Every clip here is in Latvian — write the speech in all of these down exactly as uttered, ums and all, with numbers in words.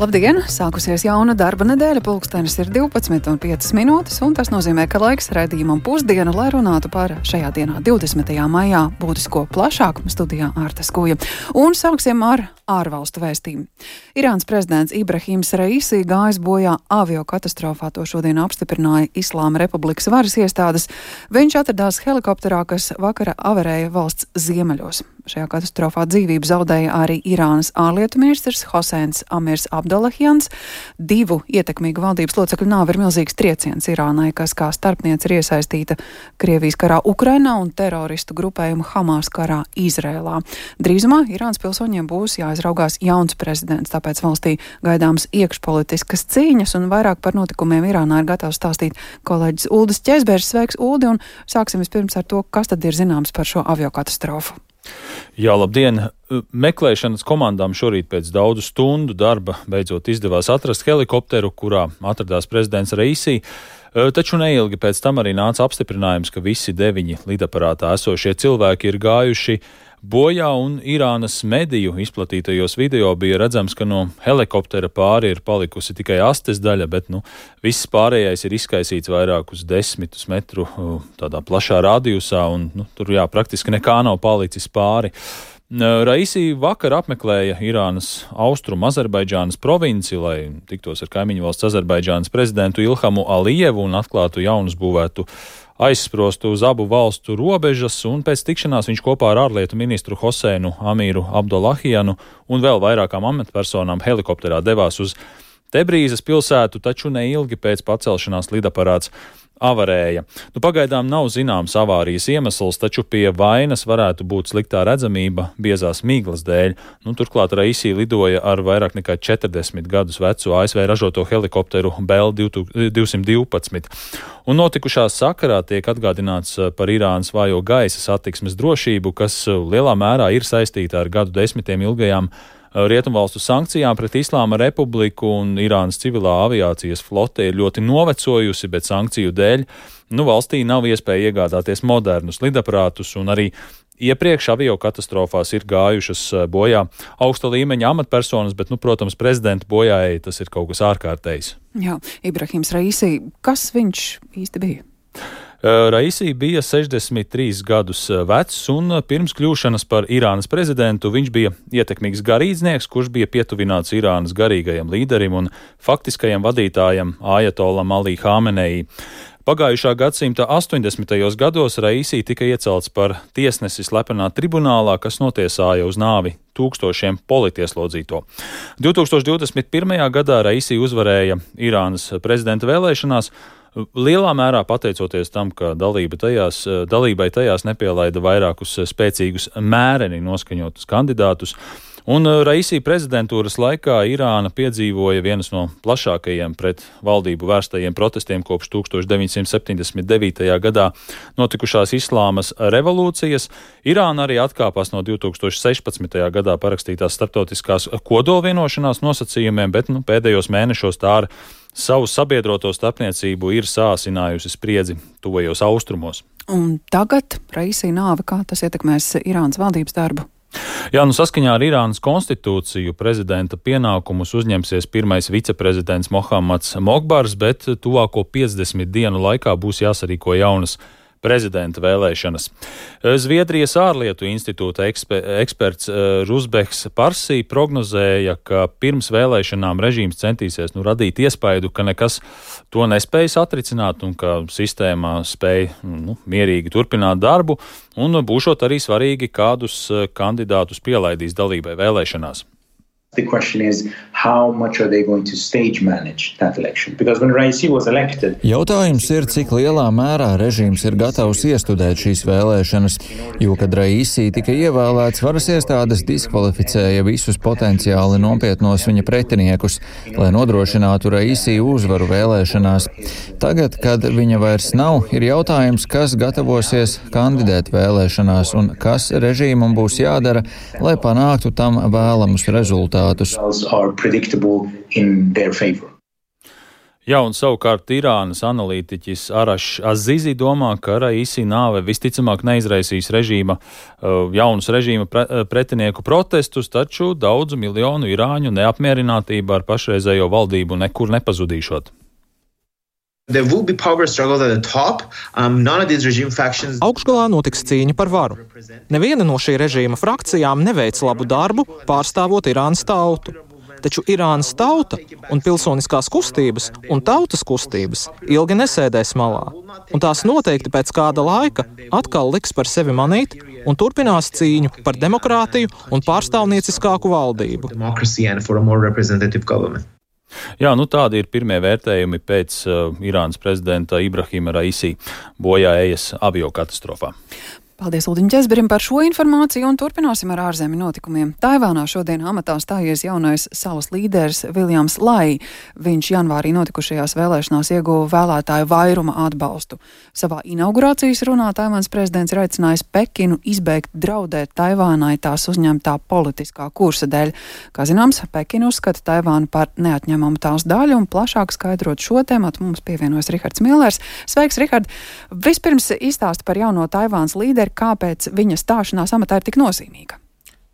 Labdien! Sākusies jauna darba nedēļa, pulkstenis ir divpadsmit un piecas minūtes, un tas nozīmē, ka laiks raidījumam pusdiena, lai runātu par šajā dienā, divdesmitajā maijā, būtisko plašāk studijā Ārta Skuja. Un sāksim ar ārvalstu vēstījumu. Irānas prezidents Ibrahims Raisi gājis bojā avio katastrofā, to šodien apstiprināja Islāma Republikas varas iestādes. Viņš atradās helikopterā, kas vakara avarēja valsts ziemeļos. Šajā katastrofā dzīvību zaudēja arī Irānas ārlietu ministrs Hoseins Amirs Abdolahjans. Divu ietekmīgu valdības locekļu nāve ir milzīgs trieciens Irānai, kas kā starpniece ir iesaistīta Krievijas karā Ukrainā un teroristu grupējumu Hamas karā Izrēlā. Drīzumā Irānas pilsoņiem būs jāizraugās jauns prezidents, tāpēc valstī gaidāms iekšpolitiskas cīņas, un vairāk par notikumiem Irānā ir gatavs stāstīt kolēģis Uldis Ķezbergs. Sveiks, Uldi, un sāksim vispirms ar to, kas tad ir zināms par šo aviokatastrofu. Jā, labdien! Meklēšanas komandām šorīt pēc daudzu stundu darba beidzot izdevās atrast helikopteru, kurā atradās prezidents Raisi, taču neilgi pēc tam arī nāca apstiprinājums, ka visi deviņi lidaparātā esošie cilvēki ir gājuši bojā, un Irānas mediju izplatītajos video bija redzams, ka no helikoptera pāri ir palikusi tikai astes daļa, bet nu, viss pārējais ir izkaisīts vairākus desmitus metru tādā plašā radiusā, un nu, tur jā, praktiski nekā nav palicis pāri. Raisi vakar apmeklēja Irānas austrumu Azerbaidžānas provinci, lai tiktos ar kaimiņu valsts Azerbaidžānas prezidentu Ilhamu Alijevu un atklātu jaunus būvētu aizsprostu uz abu valstu robežas, un pēc tikšanās viņš kopā ar ārlietu ministru Hoseinu Amiru Abdolahjanu un vēl vairākām amatpersonām helikopterā devās uz Tebrīzes pilsētu, taču neilgi pēc pacelšanās lidaparāts avarēja. Nu, pagaidām nav zināms avārijas iemesls, taču pie vainas varētu būt sliktā redzamība biezās miglas dēļ. Nu, turklāt Raisi lidoja ar vairāk nekā četrdesmit gadus vecu A S V ražoto helikopteru Bell divsimt divpadsmit. Un notikušā sakarā tiek atgādināts par Irānas vājo gaisa satiksmes drošību, kas lielā mērā ir saistīta ar gadu desmitiem ilgajām Rietumvalstu sankcijām pret Islāma Republiku, un Irānas civilā aviācijas flote ir ļoti novecojusi, bet sankciju dēļ nu, valstī nav iespēja iegādāties modernus lidaparātus, un arī iepriekš avio katastrofās ir gājušas bojā augsta līmeņa amatpersonas, bet, nu, protams, prezidenta bojājai tas ir kaut kas ārkārtējs. Jā, Ibrahims Raisi, kas viņš īsti bija? Raisi bija sešdesmit trīs gadus vecs, un pirms kļūšanas par Irānas prezidentu viņš bija ietekmīgs garīdznieks, kurš bija pietuvināts Irānas garīgajam līderim un faktiskajam vadītājam Ajatolam Ali Hamenei. Pagājušā gadsimta astoņdesmitajos gados Raisi tika iecelts par tiesnesi slepenā tribunālā, kas notiesāja uz nāvi tūkstošiem politieslodzīto. divtūkstoš divdesmit pirmajā gadā Raisi uzvarēja Irānas prezidenta vēlēšanās, lielā mērā pateicoties tam, ka dalība tajās, dalībai tajās nepielaida vairākus spēcīgus mēreni noskaņotus kandidātus. Un Raisi prezidentūras laikā Irāna piedzīvoja vienas no plašākajiem pret valdību vērstajiem protestiem kopš tūkstoš deviņsimt septiņdesmit devītajā gadā notikušās Islāmas revolūcijas. Irāna arī atkāpās no divtūkstoš sešpadsmitajā gadā parakstītās starptautiskās kodolvienošanās nosacījumiem, bet nu, pēdējos mēnešos tā ar savu sabiedroto starpniecību ir sāsinājusi spriedzi tuvajos austrumos. Un tagad Raisi nāve, kā tas ietekmēs Irānas valdības darbu? Jā, nu saskaņā ar Irānas konstitūciju prezidenta pienākumus uzņemsies pirmais viceprezidents Mohammads Mokbars, bet tuvāko piecdesmit dienu laikā būs jāsarīko jaunas prezidenta vēlēšanas. Zviedrijas ārlietu institūta eksper, eksperts Rusbeks Parsī prognozēja, ka pirms vēlēšanām režīms centīsies nu, radīt iespaidu, ka nekas to nespējas atricināt un ka sistēmā spēj nu, mierīgi turpināt darbu, un būšot arī svarīgi, kādus kandidātus pielaidīs dalībai vēlēšanās. The question is, how much are they going to stage manage that election? Because when Raisi was elected... Jautājums ir, cik lielā mērā režīms ir gatavs iestudēt šīs vēlēšanas, jo, kad Raisi tika ievēlēts, varas iestādes diskvalificēja visus potenciāli nopietnos viņa pretiniekus, lai nodrošinātu Raisi uzvaru vēlēšanās. Tagad, kad viņa vairs nav, ir jautājums, kas gatavosies kandidēt vēlēšanās un kas režīmam būs jādara, lai panāktu tam vēlamus rezultātus. Jā, un savukārt Irānas analītiķis Arašs Azizi domā, ka Raisi nāve visticamāk neizraisīs režīma, jaunus režīma pre, pretinieku protestus, taču daudzu miljonu irāņu neapmierinātība ar pašreizējo valdību nekur nepazudīšot. Augšgalā notiks cīņa par varu. Neviena no šī režīma frakcijām neveic labu darbu, pārstāvot Irānas tautu. Taču Irānas tauta un pilsoniskās kustības un tautas kustības ilgi nesēdēs malā, un tās noteikti pēc kāda laika atkal liks par sevi manīt un turpinās cīņu par demokrātiju un pārstāvnieciskāku valdību. Jā, nu tādi ir pirmie vērtējumi pēc uh, Irānas prezidenta Ibrahima Raisi bojāejas aviokatastrofā. Paldies Uldiņam Ķezberim par šo informāciju un turpināsim ar ārzemju notikumiem. Taivānā šodien amatā stājies jaunais salas līderis Viljams Lai. Viņš janvārī notikušajās vēlēšanās ieguva vēlētāju vairuma atbalstu. Savā inaugurācijas runā Taivānas prezidents ir aicinājis Pekinu izbeigt draudēt Taivānai tās uzņemtā politiskā kursa dēļ. Kā zināms, Pekina uzskata Taivānu par neatņemamu tās daļu un plašāk skaidrot šo tematu mums pievienojas Rihards Millers. Sveiks, Rihard! Vispirms izstāsti par jauno Taivānas līderi, kāpēc viņa stāšanās amatā ir tik nozīmīga.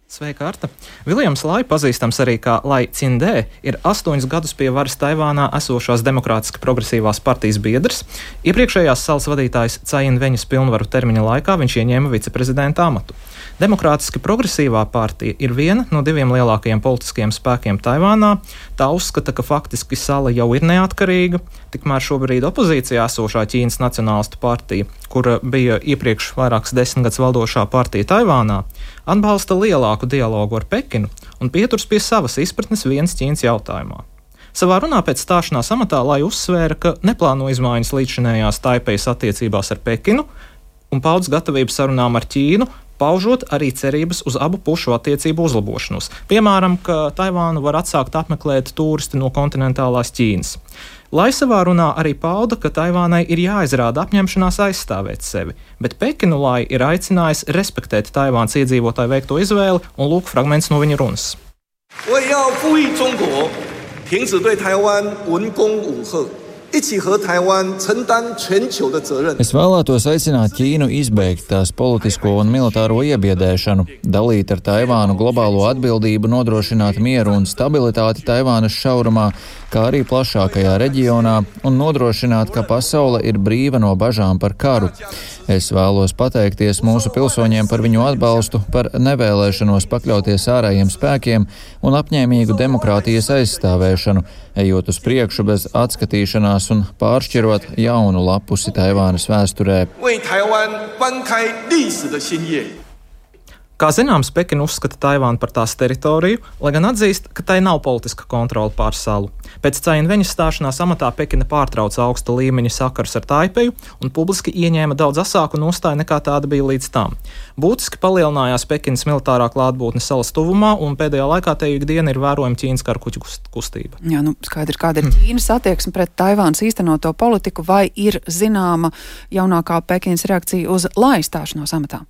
Sveika, Arta! Viljams Lai, pazīstams arī kā Lai Cindē, ir astoņus gadus pie varas Taivānā esošās Demokrātiski progresīvās partijas biedrs. Iepriekšējās salas vadītājas Cai In-veņas pilnvaru termiņa laikā viņš ieņēma viceprezidenta amatu. Demokrātiski progresīvā partija ir viena no diviem lielākajiem politiskiem spēkiem Taivānā. Tā uzskata, ka faktiski sala jau ir neatkarīga, tikmēr šobrīd opozīcijā esošā Ķīnas Nacionālistu partija, kura bija iepriekš vairākas desmitgadus valdošā partija Taivānā, atbalsta lielāku dialogu ar Pekinu un pieturas pie savas izpratnes vienas Ķīnas jautājumā. Savā runā pēc stāšanās amatā Lai uzsvēra, ka neplāno izmaiņas līdzšinējās Taipejas attiecībās ar Pekinu un paudz gatavību sarunām ar Ķīnu, paužot arī cerības uz abu pušu attiecību uzlabošanos. Piemēram, ka Taivānu var atsākt apmeklēt turisti no kontinentālās Ķīnas. Lai savā runā arī pauda, ka Taivānai ir jāizrāda apņemšanās aizstāvēt sevi, bet Pekinu Lai ir aicinājis respektēt Taivānas iedzīvotāju veikto izvēli, un lūk fragments no viņa runas. Es vēlētos aicināt Ķīnu izbeigt tās politisko un militāro iebiedēšanu, dalīt ar Taivānu globālo atbildību, nodrošināt mieru un stabilitāti Taivānas šaurumā, kā arī plašākajā reģionā, un nodrošināt, ka pasaule ir brīva no bažām par karu. Es vēlos pateikties mūsu pilsoņiem par viņu atbalstu, par nevēlēšanos pakļauties ārējiem spēkiem un apņēmīgu demokrātijas aizstāvēšanu, ejot uz priekšu bez atskatīšanās un pāršķirot jaunu lapusi Taivānas vēsturē. Kā zināms, Pekina uzskata Taivānu par tās teritoriju, lai gan atzīst, ka tai nav politiska kontrole pār salu. Pēc Cai In-veņas stāšanās amatā Pekina pārtrauca augsta līmeņa sakars ar Taipeju un publiski ieņēma daudz asāku nostāju nekā tāda bija līdz tam. Būtiski palielinājās Pekinas militārā klātbūtne salas tuvumā, un pēdējā laikā te ikdiena ir vērojama Ķīnas karakuģu kustība. Jā, nu skaidrs, kāda ir Ķīnas attieksme pret Taivānas īstenoto politiku, vai ir zināma jaunākā Pekinas reakcija uz Lai stāšanos amatā?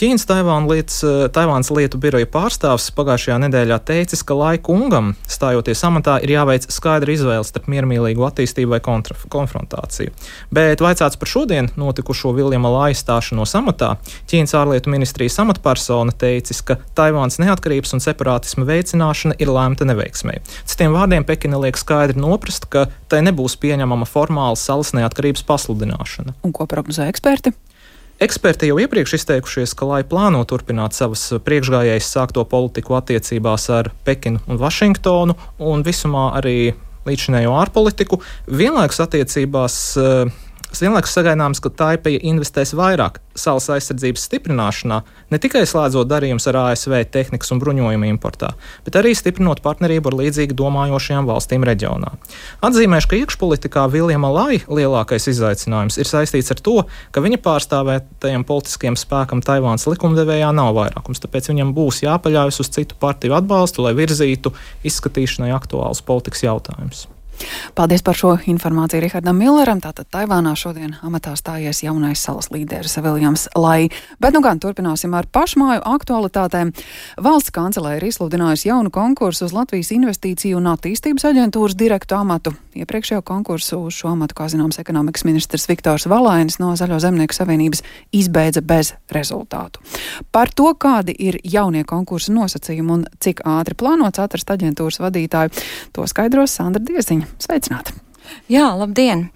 Ķīnas Taivānas lietu biroja pārstāvs pagājušajā nedēļā teicis, ka Lai kungam, stājoties amatā, ir jāveic skaidra izvēle starp miermīlīgu attīstību vai kontra, konfrontāciju. Bet vaicāts par šodien notikušo Viljama Lai stāšanos amatā, Ķīnas ārlietu ministrijas amatpersona teicis, ka Taivānas neatkarības un separātisma veicināšana ir lēmta neveiksmei. Citiem vārdiem Pekina liek skaidri noprast, ka tai nebūs pieņemama formāla salas neatkarības pasludināšana. Un ko prognozē eksperti? Eksperti jau iepriekš izteikušies, ka Lai plāno turpināt savas priekšgājējas sākto politiku attiecībās ar Pekinu un Vašingtonu un visumā arī līdzinējo ārpolitiku. Vienlaikus attiecībās, vienlaikus sagaidāms, ka Taipeja investēs vairāk salas aizsardzības stiprināšanā, ne tikai slēdzot darījumus ar A S V tehnikas un bruņojumu importā, bet arī stiprinot partnerību ar līdzīgi domājošajām valstīm reģionā. Atzīmēšu, ka iekšpolitikā Viljama Lai lielākais izaicinājums ir saistīts ar to, ka viņa pārstāvētajam politiskiem spēkam Taivānas likumdevējā nav vairākums, tāpēc viņam būs jāpaļaujas uz citu partiju atbalstu, lai virzītu izskatīšanai aktuālus politikas jautājumus. Paldies par šo informāciju Rihardam Milleram. Tātad Taivānā šodien amatā stājies jaunais salas līderis Viljams Lai. Bet nu gan turpināsim ar pašmāju aktualitātēm. Valsts kancelē ir izsludinājusi jaunu konkursu uz Latvijas Investīciju un attīstības aģentūras direktu amatu. Iepriekšējo konkursu uz šo amatu, kā zināms, ekonomikas ministrs Viktors Valainis no Zaļo zemnieku savienības izbeidza bez rezultātu. Par to, kādi ir jaunie konkursu nosacījumi un cik ātri plānots atrast aģentūras vadītāju, to skaidros Sandra Dieziņa. Sveicināti! Jā, labdien!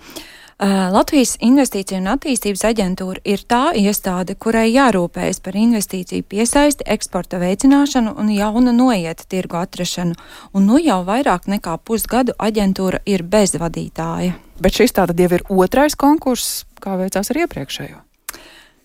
Uh, Latvijas Investīciju un attīstības aģentūra ir tā iestāde, kurai jārūpējas par investīciju piesaisti, eksporta veicināšanu un jaunu noieta tirgu atrašanu. Un nu jau vairāk nekā pusgadu aģentūra ir bez vadītāja. Bet šis tātad jau ir otrais konkurss, kā veicās ar iepriekšējo?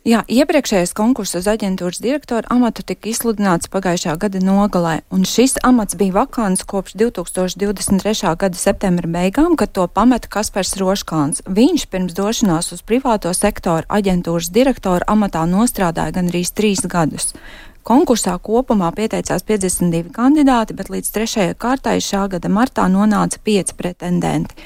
Jā, iepriekšējais konkurss uz aģentūras direktora amatu tika izsludināts pagājušā gada nogalē, un šis amats bija vakants kopš divi tūkstoši divdesmit trešā gada septembra beigām, kad to pameta Kaspars Roškāns. Viņš pirms došanās uz privāto sektoru aģentūras direktora amatā nostrādāja gandrīz trīs gadus. Konkursā kopumā pieteicās piecdesmit divi kandidāti, bet līdz trešajai kārtai šā gada martā nonāca pieci pretendenti.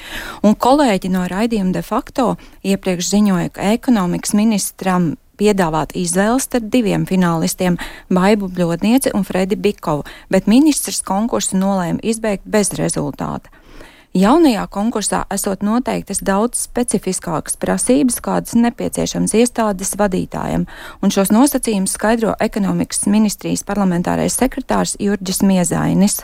Un kolēģi no raidījuma de facto iepriekš ziņoja, ka ekonomikas ministram piedāvāt izvēles starp diviem finālistiem – Baibu Bļodnieci un Fredi Bikovu, bet ministrs konkursu nolēma izbeigt bez rezultāta. Jaunajā konkursā esot noteiktas daudz specifiskākas prasības, kādas nepieciešams iestādes vadītājam, un šos nosacījumus skaidro ekonomikas ministrijas parlamentārais sekretārs Jurģis Miezainis.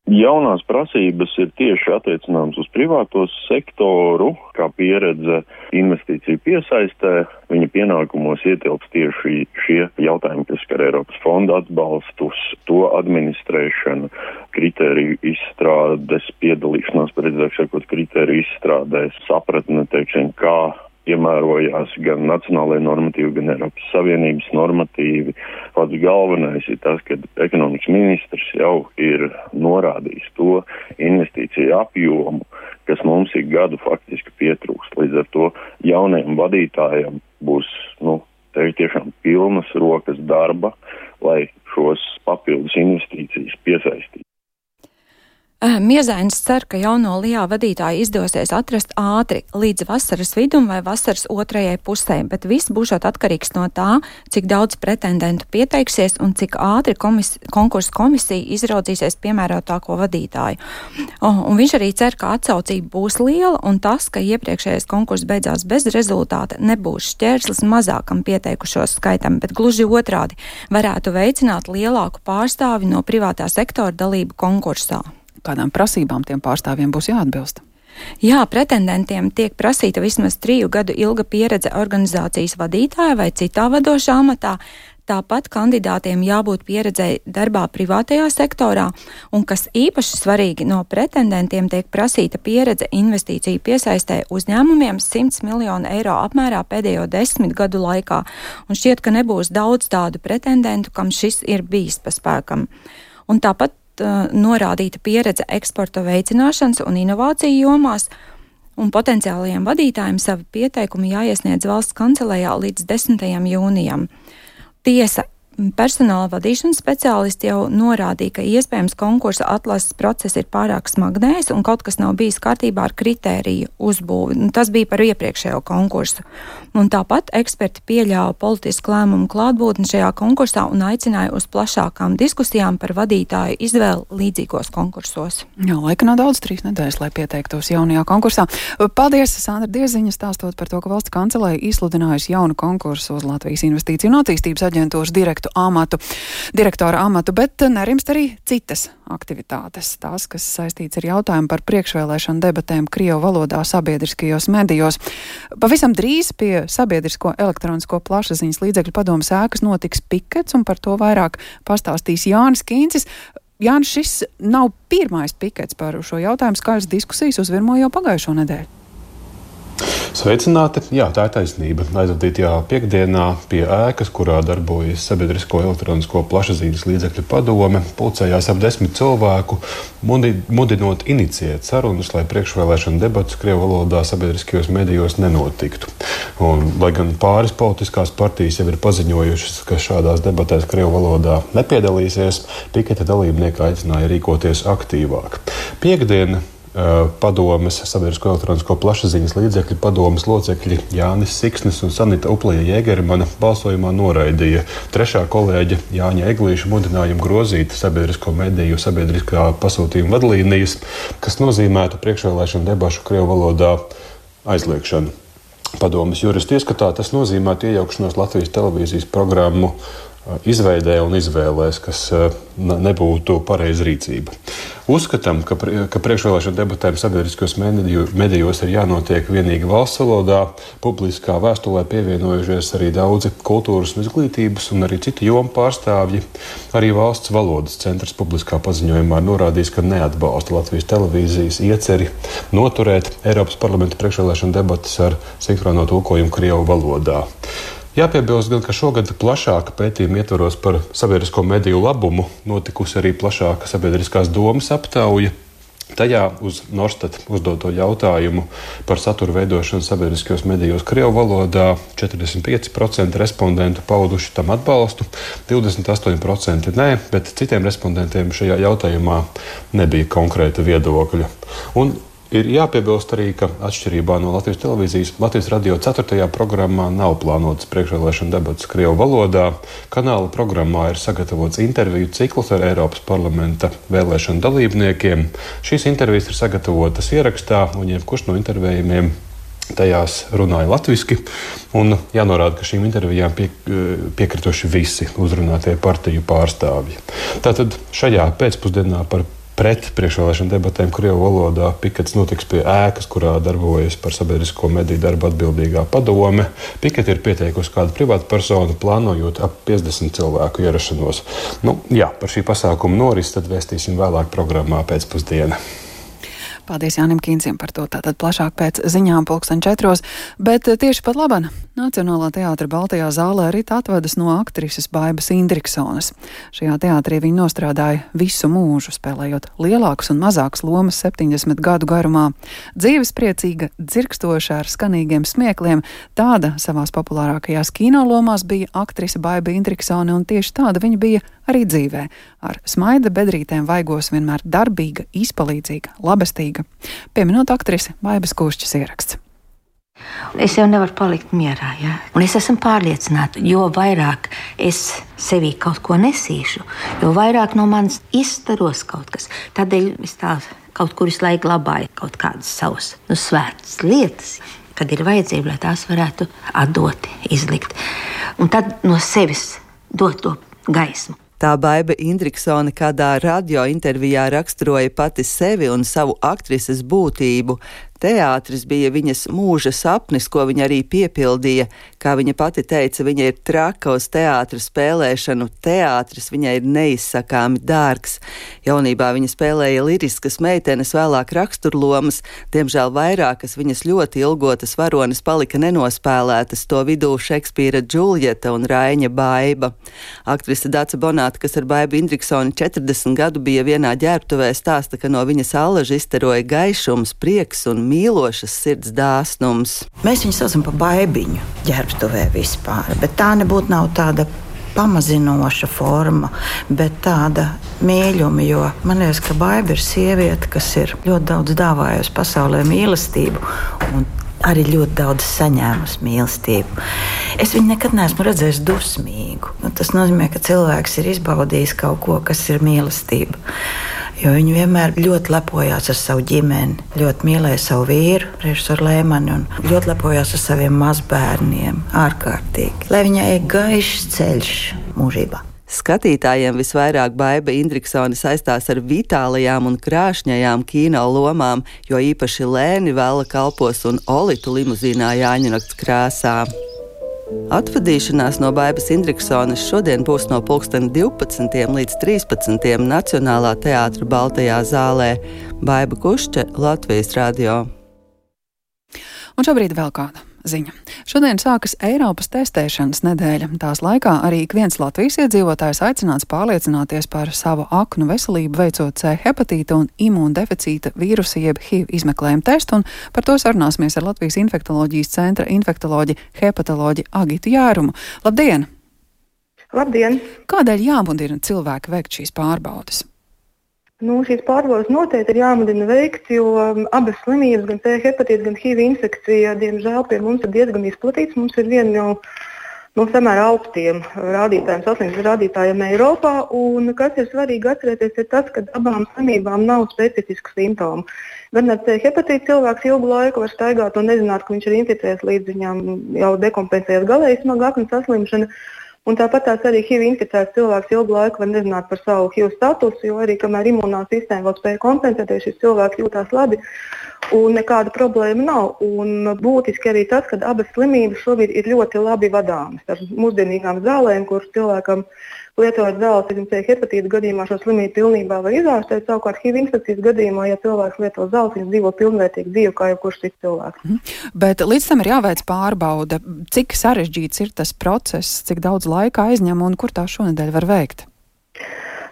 Jaunās prasības ir tieši attiecināmas uz privāto sektoru, kā pieredze investīciju piesaistē. Viņa pienākumos ietilps tieši šie jautājumi, kas skar Eiropas fonda atbalstus, to administrēšanu, kritēriju izstrādes, piedalīšanās, precīzāk sakot, kritēriju izstrādēs, sapratne, teiksim, kā piemērojās gan nacionālajie normatīvi, gan Eiropas Savienības normatīvi. Pats galvenais ir tas, ka ekonomikas ministrs jau ir norādījis to investīciju apjomu, kas mums ik gadu faktiski pietrūkst. Līdz ar to jaunajam vadītājam būs, nu, te tiešām pilnas rokas darba, lai šos papildus investīcijas piesaistītu. Miezainis cer, ka jauno Lijā vadītāju izdosies atrast ātri līdz vasaras vidum vai vasaras otrajai pusē, bet viss būšot atkarīgs no tā, cik daudz pretendentu pieteiksies un cik ātri komis, konkursu komisija izraudzīsies piemērotāko vadītāju. Oh, un viņš arī cer, ka atsaucība būs liela un tas, ka iepriekšējais konkurss beidzās bez rezultāta, nebūs šķērslis mazākam pieteikušos skaitam, bet gluži otrādi varētu veicināt lielāku pārstāvi no privātā sektora dalību konkursā. Kādām prasībām tiem pārstāvjiem būs jāatbilst? Jā, pretendentiem tiek prasīta vismaz triju gadu ilga pieredze organizācijas vadītāja vai citā vadošā amatā. Tāpat kandidātiem jābūt pieredzei darbā privātajā sektorā, un, kas īpaši svarīgi, no pretendentiem tiek prasīta pieredze investīciju piesaistē uzņēmumiem simts miljonu eiro apmērā pēdējo desmit gadu laikā, un šķiet, ka nebūs daudz tādu pretendentu, kam šis ir bijis pa spēkam. Un tāpat norādīta pieredze eksporta veicināšanas un inovāciju jomās, un potenciālajiem vadītājiem savi pieteikumi jāiesniedz valsts kancelējā līdz desmitajam jūnijam. Tiesa, personāla vadīšanas speciālisti jau norādīja, ka iespējams konkursa atlases process ir pārāk smagnējs un kaut kas nav bijis kārtībā ar kritēriju uzbūvi. Tas bija par iepriekšējo konkursu. Un tāpat eksperti pieļāva politisku lēmumu klātbūtni šajā konkursā un aicināja uz plašākām diskusijām par vadītāju izvēli līdzīgos konkursos. Jā, laika nav daudz, trīs nedēļas, lai pieteiktos jaunajā konkursā. Paldies, Sandra Dieziņa, stāstot par to, ka valsts kancelēja izsludinājusi jaunu konkursu uz Latvijas Investīciju un attīstības aģentūras direktu amatu, direktora amatu, bet nerimst arī citas aktivitātes. Tās, kas saistīts ar jautājumu par priekšvēlēšanu debatēm Krievu valodā sabiedriskajos medijos. Pavisam drīz pie Sabiedrisko elektronisko plašsaziņas līdzekļu padomes ēkas notiks pikets, un par to vairāk pastāstīs Jānis Kīncis. Jānis, šis nav pirmais pikets par šo jautājumu, skaļas diskusijas uzvirmo jau pagājušo nedēļu. Sveicināti! Jā, tā ir taisnība. Aizvadītajā piekdienā pie ēkas, kurā darbojas Sabiedrisko elektronisko plašsaziņas līdzekļu padome, pulcējās ap desmit cilvēku, mudinot iniciēt sarunas, lai priekšvēlēšana debatas Krievu valodā sabiedriskajos medijos nenotiktu. Un, lai gan pāris politiskās partijas jau ir paziņojušas, ka šādās debatēs Krievu valodā nepiedalīsies, piketa dalībnieki aicināja rīkoties aktīvāk. Piekdiena padomes, sabiedrisko elektronisko plašsaziņas līdzekļu padomes locekļi Jānis Siksnis un Sanita Uplija Jēgermana balsojumā noraidīja trešā kolēģa Jāņa Eglīša mudinājumu grozīt sabiedrisko mediju sabiedriskā pasūtījuma vadlīnijas, kas nozīmētu priekšvēlēšanu debašu krievu valodā aizliekšanu. Padomes juristi ieskatā tas nozīmētu iejaukšanos Latvijas televīzijas programmu izveidē un izvēlēs, kas nebūtu pareiza rīcība. Uzskatām, ka, ka priekšvēlēšana debatēm sabiedriskos medijos ir jānotiek vienīgi valsts valodā. Publiskā vēstulē pievienojušies arī daudzi kultūras un izglītības un arī citu jomu pārstāvji. Arī valsts valodas centrs publiskā paziņojumā norādījis, ka neatbalsta Latvijas televīzijas ieceri noturēt Eiropas parlamenta priekšvēlēšana debates ar sinhrono tulkojumu krievu valodā. Jāpiebilst gan, ka šogad plašāka pētījuma ietvaros par sabiedrisko mediju labumu notikusi arī plašāka sabiedriskās domas aptauja. Tajā uz Norstat uzdoto jautājumu par satura veidošanu sabiedriskajos medijos krievu valodā četrdesmit pieci procenti respondentu pauduši tam atbalstu, divdesmit astoņi procenti nē, bet citiem respondentiem šajā jautājumā nebija konkrēta viedokļa. Un ir jāpiebilst arī, ka atšķirībā no Latvijas televīzijas, Latvijas radio ceturtajā programmā nav plānotas priekšvēlēšana debates krievu valodā. Kanāla programmā ir sagatavots interviju cikls ar Eiropas parlamenta vēlēšanu dalībniekiem. Šīs intervijas ir sagatavotas ierakstā, un jebkurš no intervējumiem tajās runāja latviski. Un jānorāda, ka šīm intervijām pie, piekrituši visi uzrunātie partiju pārstāvji. Tātad šajā pēcpusdienā par pret priekšvēlēšana debatēm krievu valodā pikets notiks pie ēkas, kurā darbojas par sabiedrisko mediju darbu atbildīgā padome. Piketi ir pieteikusi kādu privātu personu, plānojot ap piecdesmit cilvēku ierašanos. Nu, jā, par šī pasākuma noris tad vēstīsim vēlāk programmā pēcpusdiena. Paldies Jānim Kīncim par to, tātad plašāk pēc ziņām pulksten četros, bet tieši pat labana Nacionālā teātra Baltajā zālē rīt atvedas no aktrises Baibas Indriksones. Šajā teātrī viņa nostrādāja visu mūžu, spēlējot lielākas un mazākas lomas septiņdesmit gadu garumā. Dzīvespriecīga, dzirkstoša ar skanīgiem smiekliem, tāda savās populārākajās kinolomās bija aktrise Baiba Indriksone, un tieši tāda viņa bija arī dzīvē. Ar smaida bedrītēm vaigos vienmēr darbīga, izpalīdzīga, labestīga. Pieminot aktrisi Baibas Kūšķas ieraksts. Es jau nevaru palikt mierā, ja? Un es esmu pārliecināta, jo vairāk es sevī kaut ko nesīšu, jo vairāk no manis izstaros kaut kas. Tādēļ es tā kaut kur visu laiku glabāju kaut kādas savas nu, svētas lietas, kad ir vajadzība, lai tās varētu atdot, izlikt. Un tad no sevis dot to gaismu. Tā Baiba Indriksone kādā radio intervijā raksturoja pati sevi un savu aktrises būtību. Teātris bija viņas mūža sapnis, ko viņa arī piepildīja. Kā viņa pati teica, viņa ir traka uz teātra spēlēšanu. Teātris viņai ir neizsakāmi dārgs. Jaunībā viņa spēlēja liriskas meitenes, vēlāk raksturlomas. Diemžēl vairākas viņas ļoti ilgotas varones palika nenospēlētas, to vidū Šekspīra Džuljeta un Raiņa Baiba. Aktrise Dace Bonāte, kas ar Baibu Indriksoni četrdesmit gadu bija vienā ģērbtuvē, stāsta, ka no viņas allaža izstaroja gaišums, prieks un mīlošas sirds dāsnums. Mēs viņu saucam par Baibiņu ģērbtuvē vispār, bet tā nebūtu nav tāda pamazinoša forma, bet tāda mīļuma, jo man liekas, ka Baiba ir sieviete, kas ir ļoti daudz dāvājusi pasaulē mīlestību un arī ļoti daudz saņēmusi mīlestību. Es viņu nekad neesmu redzējis dusmīgu. Tas nozīmē, ka cilvēks ir izbaudījis kaut ko, kas ir mīlestība. Jo viņi vienmēr ļoti lepojās ar savu ģimeni, ļoti mīlēja savu vīru, režisoru Lēmani, un ļoti lepojās ar saviem mazbērniem, ārkārtīgi. Lai viņai ir gaišs ceļš mūžībā. Skatītājiem visvairāk Baiba Indriksone saistās ar vitālajām un krāšņajām kino lomām, jo īpaši Lēni Vela kalpos un Olitu limuzīnā Jāņanakts krāsā. Atvadīšanās no Baibas Indriksones šodien būs no pulksten divpadsmitiem līdz trīspadsmitiem Nacionālā teātra Baltajā zālē. Baiba Kušķe, Latvijas radio. Un šobrīd vēl kāda ziņa. Šodien sākas Eiropas testēšanas nedēļa. Tās laikā arī ik viens Latvijas iedzīvotājs aicināts pārliecināties par savu aknu veselību, veicot C hepatīta un imūndeficīta vīrusa jeb H I V izmeklējumu testu, un par to sarunāsimies ar Latvijas infektoloģijas centra infektoloģi hepatoloģi Agitu Jārumu. Labdien! Labdien! Kādēļ jāmudina cilvēki veikt šīs pārbaudes? Nu, šīs pārbaudes noteikti ir jāmudina veikt, jo abas slimības, gan C hepatīts, gan H I V infekcija, diemžēl pie mums ir diezgan izplatīts. Mums ir viena no, no samērā augstiem rādītājiem, saslimības rādītājiem Eiropā. Un kas ir svarīgi atcerēties, ir tas, ka abām slimībām nav specifisku simptomu. Gan ar C hepatītu cilvēks ilgu laiku var staigāt un nezināt, ka viņš ir inficēts, līdz viņam jau dekompensējas galēji smaga aknas saslimšana. Un tāpat tās arī H I V inficēts cilvēks ilgu laiku var nezināt par savu H I V statusu, jo arī kamēr imunā sistēma vēl spēja kompensēties, šis cilvēks jūtās labi un nekāda problēma nav. Un būtiski arī tas, ka abas slimības šobrīd ir ļoti labi vadāmas ar mūsdienīgām zālēm, kuras cilvēkam lietojot zāles, ja C hepatīta gadījumā šo slimību pilnībā var izārstēt. Savukārt H I V infekcijas gadījumā, ja cilvēks lieto zāles, viņš dzīvo pilnvērtīgu dzīvi kā jebkurš cits cilvēks. Mm. Bet līdz tam ir jāveic pārbaude. Cik sarežģīts ir tas process, cik daudz laika aizņem un kur tā šonedēļ var veikt?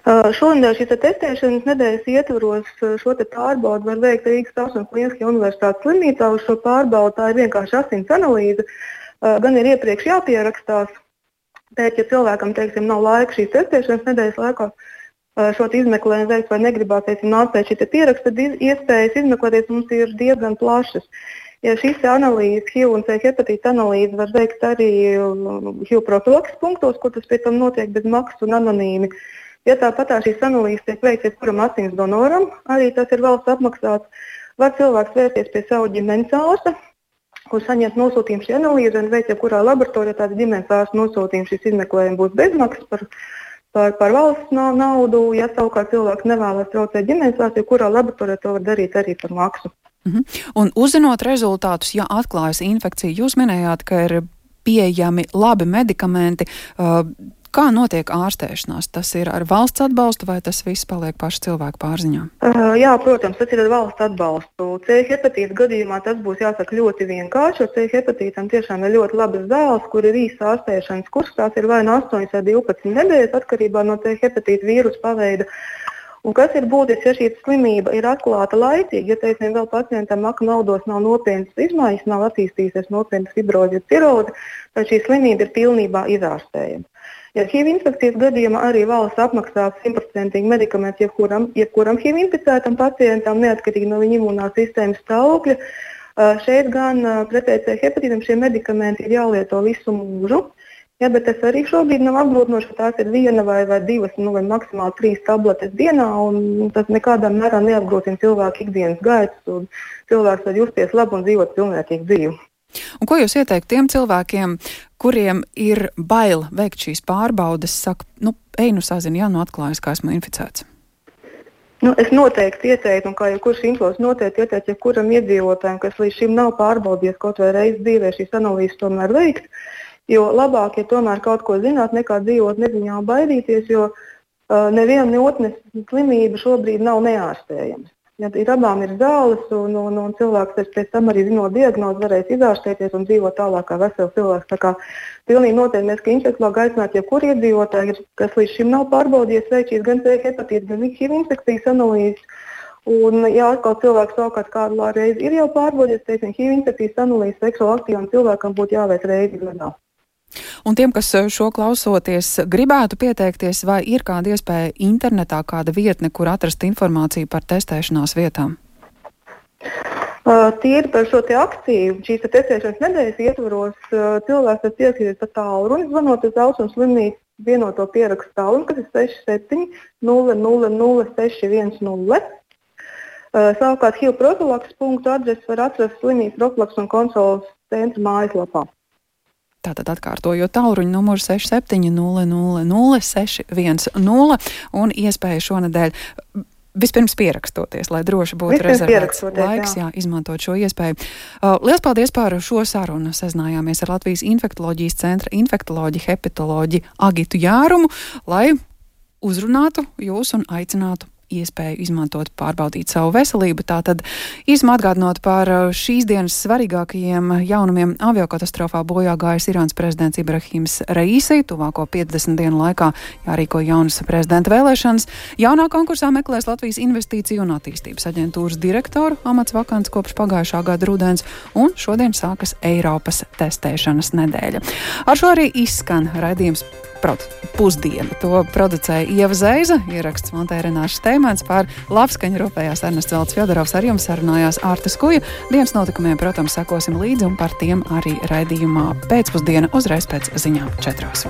Uh, šonedēļ šīs testēšanas nedēļas ietvaros šo te pārbaudu var veikt Rīgas Tautsmes Kliniskajā universitātes slimnīcā. Uz šo pārbaudu tā ir vienkārši asins analīze. Uh, gan ir iepriekš jāpierakstās. Pēc, ja cilvēkam, teiksim, nav laika šīs testēšanas nedēļas laikā šo izmeklējumu veikt vai negribās, teiksim, nākt pēc šī pieraksta, tad iespējas izmeklēties mums ir diezgan plašas. Ja šīs analīzes, H I V un C hepatīta analīze var veikt arī H I V profilakses punktos, kur tas pēc tam notiek bez maksas un anonīmi. Ja tāpat šīs analīzes tiek veikts jebkuram asins donoram, arī tas ir valsts apmaksāts, var cilvēks vērsties pie savu ģimenes ārsta, kur saņemt nosūtījumu šī analīze un veikt jebkurā laboratorijā tāds ģimenes ārsta nosūtījums. Šis izmeklējums būs bezmaksas par, par, par valsts naudu. Ja savukārt cilvēks nevēlas traucēt ģimenes ārstu, jebkurā laboratorijā to var darīt arī par maksu. Mhm. Un uzzinot rezultātus, ja atklājas infekcija, jūs minējāt, ka ir pieejami labi medikamenti. Uh, Kā notiek ārstēšanās? Tas ir ar valsts atbalstu vai tas viss paliek pašu cilvēku pārziņā? Uh, jā, protams, tas ir ar valsts atbalstu. C hepatīta gadījumā tas būs jāsaka ļoti vienkārši, jo C hepatītam tiešām ir ļoti labas zāles, kur ir īsa ārstēšanas kurs. Tās ir vai no astoņas vai divpadsmit nedēļas atkarībā no C hepatīta vīrusa paveida. Un kas ir būtiski, ja šī slimība ir atklāta laicīgi, ja, teiksim, vēl pacientam aknu audos nav nopietnas izmaiņas, nav attīstījusies nopietnas fibrozi, cirozi, tad šī slimība ir pilnībā izārstējama. Ja H I V infekcijas gadījumā arī valsts apmaksās simtprocentīgi medikamentus jebkuram, jebkuram H I V inficētam pacientam, neatkarīgi no viņa imunās sistēmas stāvokļa. Šeit gan pretēji C hepatītam šie medikamenti ir jālieto visu mūžu, ja, bet tas arī šobrīd nav apgrūtinoši, ka tās ir viena vai, vai divas, nu, vai maksimāli trīs tabletes dienā, un tas nekādā mērā neapgrūtina cilvēku ikdienas gaitas, un cilvēks var justies labi un dzīvot pilnvērtīgu dzīvi. Un ko jūs ieteikt tiem cilvēkiem, kuriem ir bail veikt šīs pārbaudes, saka, nu, ej, nu sazini, jā, nu atklājas, kā esmu inficēts? Nu, es noteikti ieteiktu, un kā jau kurš infos noteikti ieteiktu, ja kuram iedzīvotājiem, kas līdz šim nav pārbaudījies kaut vai reizi dzīvē, šīs analīzes tomēr veikt, jo labāk, ja tomēr kaut ko zināt, nekā dzīvot neziņā un baidīties, jo uh, neviena ne otnes slimība šobrīd nav neārstējama. Ja ir abām ir zāles, un, un, un cilvēks pēc tam arī zinot diagnozi varēs izārstēties un dzīvot tālāk kā vesels cilvēks. Tā kā pilnīgi noteikti mēs, ka infekciologi aicinātu, ja kur iedzīvotāji, kas līdz šim nav pārbaudījies, veikt šīs gan C hepatīta, gan H I V infekcijas analīzes. Un, ja atkal cilvēks savukārt kādu reizi ir jau pārbaudījies, teiksim, H I V infekcijas analīzes seksuāli aktīvam cilvēkam būtu jāveic reizi gadā. Un tiem, kas šo klausoties, gribētu pieteikties, vai ir kāda iespēja internetā, kāda vietne, kur atrast informāciju par testēšanās vietām? Uh, Tīri par šo te akciju, šīs te testēšanas nedēļas ietvaros, uh, cilvēks var piesaistīties pa tālruni, zvanot uz Austrumu slimnīcu vienoto pierakstu tālruni, kas ir seši septiņi nulle nulle nulle seši viens nulle. Uh, savukārt H I V profilakses punktu adresi var atrast slimnīcas profilakses un kontroles centra mājaslapā. Tātad atkārtojot tālruņa numuru seši septiņi nulle nulle nulle seši viens nulle un iespēja šonedēļ vispirms pierakstoties, lai droši būtu rezervēts laiks, jā. Jā, izmantot šo iespēju. Uh, liels paldies par šo sarunu. Sazinājāmies ar Latvijas infektoloģijas centra infektoloģi, hepatoloģi Agitu Jārumu, lai uzrunātu jūs un aicinātu iespēju izmantot, pārbaudīt savu veselību. Tātad īsumā atgādinot par šīs dienas svarīgākajiem jaunumiem, aviokatastrofā bojā gājis Irānas prezidents Ibrahims Raisi. Tuvāko piecdesmit dienu laikā jārīko jaunas prezidenta vēlēšanas. Jaunā konkursā meklēs Latvijas investīciju un attīstības aģentūras direktoru amats vakants kopš pagājušā gada rudens, un šodien sākas Eiropas testēšanas nedēļa. Ar šo arī izskan raidījums pusprot, pusdiena. To producēja Ieva Zeiza, ieraksts montēja Renāša Steimans, pār labskaņu rūpējās Ernests Velts Fjodorovs, ar jums sarunājās Ārta Skuja. Dienas notikumiem, protams, sekosim līdzi un par tiem arī raidījumā pēcpusdiena uzreiz pēc ziņām četros.